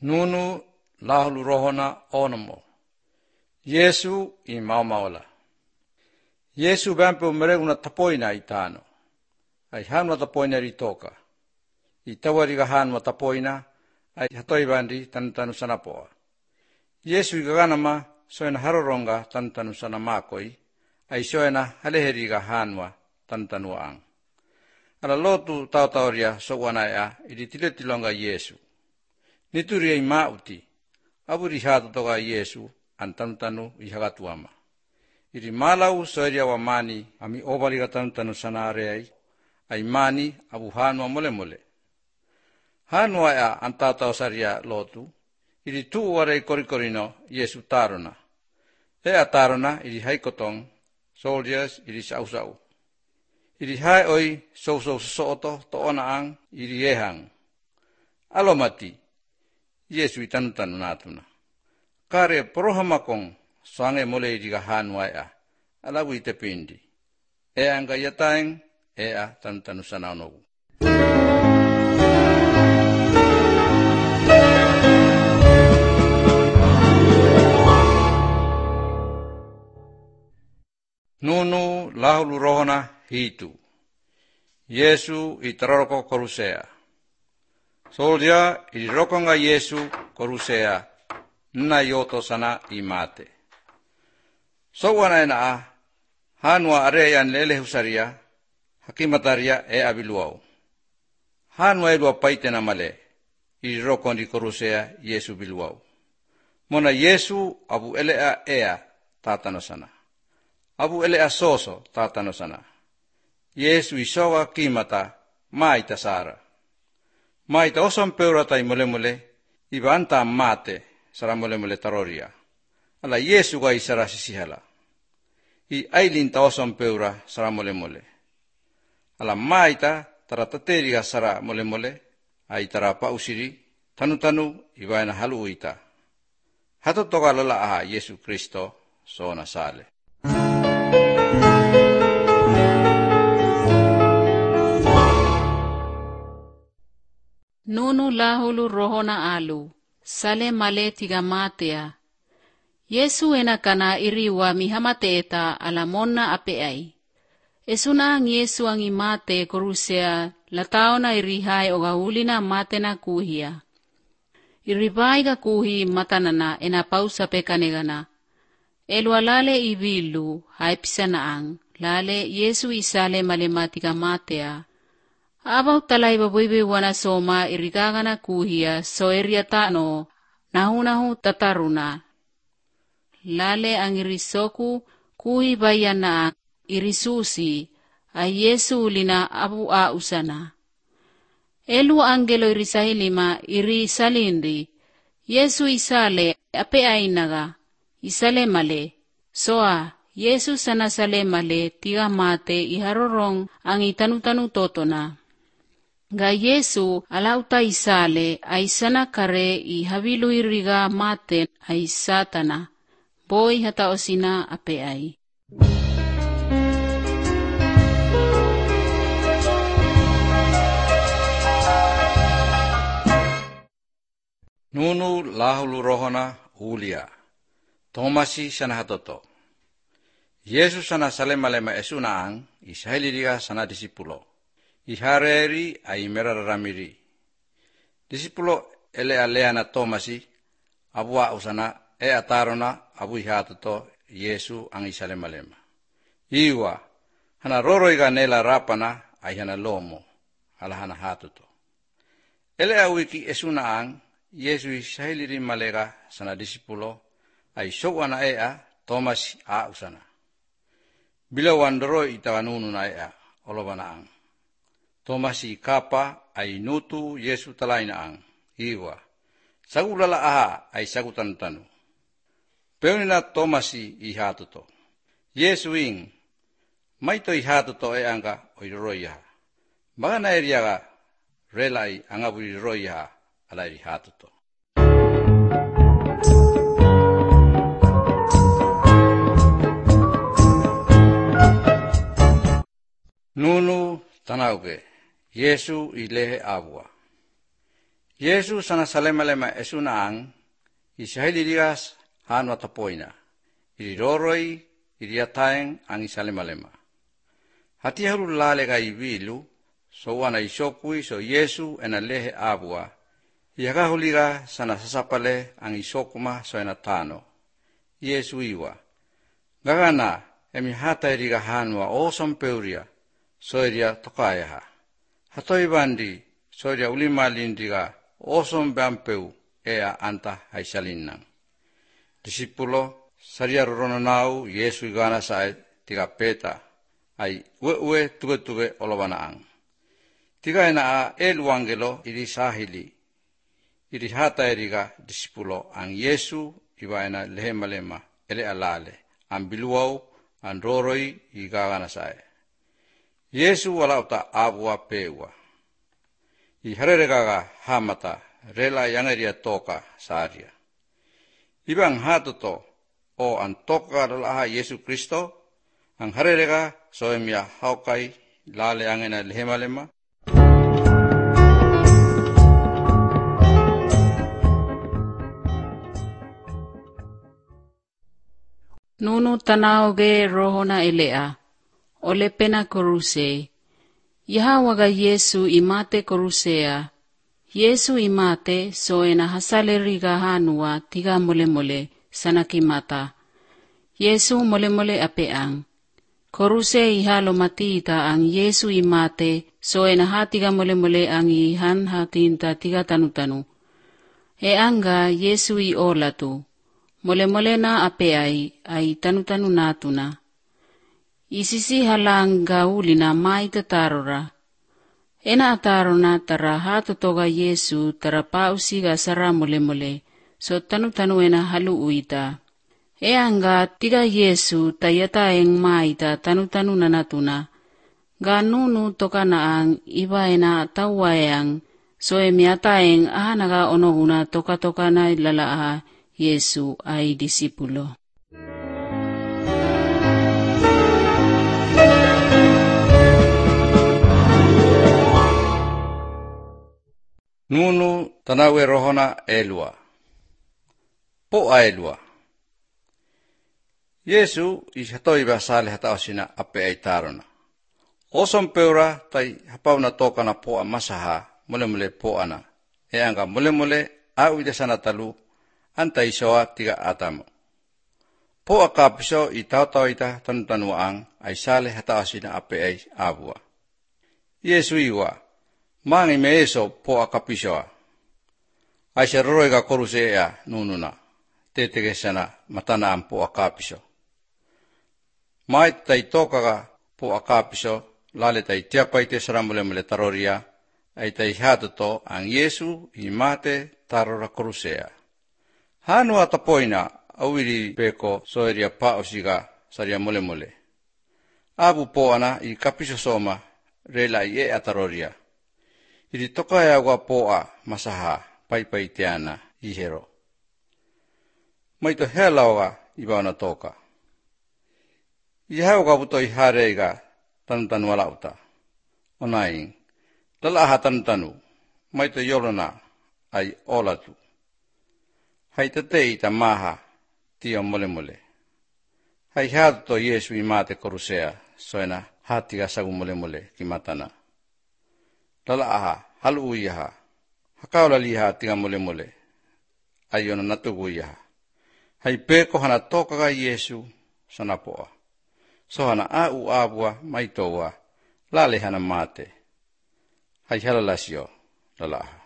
Nunu lahulu rohona onamo. Yesu I maumawala. Yesu bampe mereguna tapoina itano. Ai hanwa tapoina ritoka. Itawariga hanwa tapoina ai hatoibandi tantanu sanapoa. Yesu igaganama soena haroronga tantanu sanamakoi ai soena haleheriga hanwa tantanu ang. Ala lotu tau-tauria sowanaya iditiletilonga Yesu. Nituria imauti, aburi hatu toga Yesu antanu ihagatuama. Iri malau soeria wa mani ami obaliga tanu sanareai, ai mani abu hanwa mole. Hanwa ya antatau saria lotu, iri tu warei korikorino Yesu tarona. Tarona iri haikotong, soldiers iri sau. Iri hai oi soto to onaang iri ehang. Alomati, Yesu itanu natuna. Kare porohamakong sange mole iriga hanwa ya, alabu itepindi. Anga yataeng, tanu sananogu. Nunu lahulu rohona hitu. Yesu itaroroko korusea. Soldia irirokonga Yesu korusea na yoto sana imate. Sowana ena hanwa areyan lele husaria hakimataria abiluau. Hanwa elua paitena male irirokon di korusea Yesu biluau. Mona Yesu abu elea tatano sana. Abu elea soso tatano sana. Yesu isowa kimata maita sara. Maita osan peura tai mole ibanta mate sara mole taroria. Ala Yesu ga isara sisihala. I ailinta osan peura sara mole. Ala maita tarateteriga sara mole ai tarapa usiri tanu ibaina halu uita. Hato toga lala aha Yesu Kristo sona sale. Nunu lahulu rohona alu, sale male tiga matea. Yesu enakana iriwa mihamateeta ala monna apeai. Esuna ang Yesu ang imate korusea lataona irihai ogahulina matena kuhia. Iribai ga kuhi matanana enapausa pekanegana. Elwalale ibilu haipsanaang, lale Yesu isale malematiga matea. Abaw talay baboybe wana soma irigagana kuhia so eriatano nahunahu tataruna. Lale ang irisoku kuhi bayana irisusi ay Yesu lina abu usana. Elu angelo irisahilima irisalindi. Yesu isale ape ainaga isale male. Soa Yesu sana sale male tiga mate iharorong ang itanu totona. Ga Yesu alauta isale ay sana kare ihabilu iriga mate ay satana. Boy hataosina ape ay. Nunu lahulu rohona ulia. Tomasi sana hatoto. Yesus sana salema esunaang isahiliriga sana disipulo. Ihareri ay merararamiri. Disipulo elea na Tomasi abua usana atarona abu ihatoto Yesu ang isalema. Iwa hana roroiga nela rapana ay hana lomo alahana hatoto. Elea wiki esunaang Yesu isahiliri malega sana disipulo ay sowana Tomas usana. Bila wandoro itawanunu na olobanaang. Tomas kapa ay nutu Yesu talainaang. Iwa. Sagulala ay sagutantanu. Peunina Tomas ihatuto. Yesu ing. Maito ihatuto anga oiroroiha. Baga na eriaga relay angaburi roiha alay ihatuto. Nunu tanauge, Yesu ilehe abua. Yesu sana salema-lema esuna ang isahiligas hanwa tapoina. Iriroroi iriataeng ang isalema-lema. Hati halu lale ka ibilu so wana isokui so Yesu ena lehe abua. Iakahuliga sana sasapale ang isokuma so ena tano. Yesu iwa. Gagana emi hata iriga hanwa osam peuria so iria tokayaha. Hatoi bandi so iria ulimalindiga osam bampeu ea anta haisalinang. Disipulo saria roronau Yesu igana sae tiga peta ai ue tuge olowanaang. Tiga ena a eluangelo iri sahili. Iri hata eriga disipulo ang Yesu iwa ena lehema-lema ele alale. Ang biluau ang roroi igagana sae. Yesu walauta abua pewa. Ihareregaga hamata rela yangeria toka saria. Ibang hatuto o ang toka dalaha Yesu Kristo ang harerega soemia haukai lale angena lehema-lema. Nunu tanaoge rohona elea, ole pena koruse. Yahawaga Yesu imate korusea. Yesu imate soena hasaleriga hanua tiga mole sanakimata. Yesu mole apeang. Koruse ihalo matita ang Yesu imate soena hatiga mole ang ihan hatinta tiga tanu. E anga Yesu I olatu. Mole na apeai ay tanu natuna. Isisi halang gauli na mai tatarora. Ena atarona tara hatutoga Yesu tara pausiga sara mole so tanu ena halu uita. E anga tiga Yesu tayataeng mai ta tanu nanatuna. Ganunu toka naang iba ena tawayang so emiataeng ahanaga onoguna toka na ilalaa Yesu ay disipulo. Nunu tanawe rohona elua. Po aelua. Yesu ishatoi basale hataosina ape ay tarona. Osom peura tai hapauna toka na po masaha mole po ana. E anga mole au ide sana talu anta isoa tiga atamo. Po akapiso itao ita tanuang ay sale hataosina ape ay abua. Yesu iwa. Mangi meeso po akapisoa. Ay se roroiga korusea nununa. Tetegesana matana ang po akapiso. Mai tai tokaga po akapiso. Lale tai tiapai te saramule taroria. Ay tai hatuto ang Yesu imate tarora korusea. Hanua tapoina awiri peko soeria paosiga saria mole. Abu po ana I kapiso soma rela I ataroria. Iri tokaya wapoa masaha pai tiana ihero. Maito helaoga ibaona toka. Ihauga buto ihareiga tanu walauta. Onaing. Lalaha tanu. Maito yolona ay olatu. Haitatei ta maha tio mole. Hai hatuto Yesu imate korusea soena hatiga sagu mole kimatana. Lalaha halu uiha. Hakaula liha tiga mole. Ayona natugu iha. Hai peko hana tokaga Yesu sanapoa. So hana au abua maitoa lale hana mate. Hai halalasio lalaha.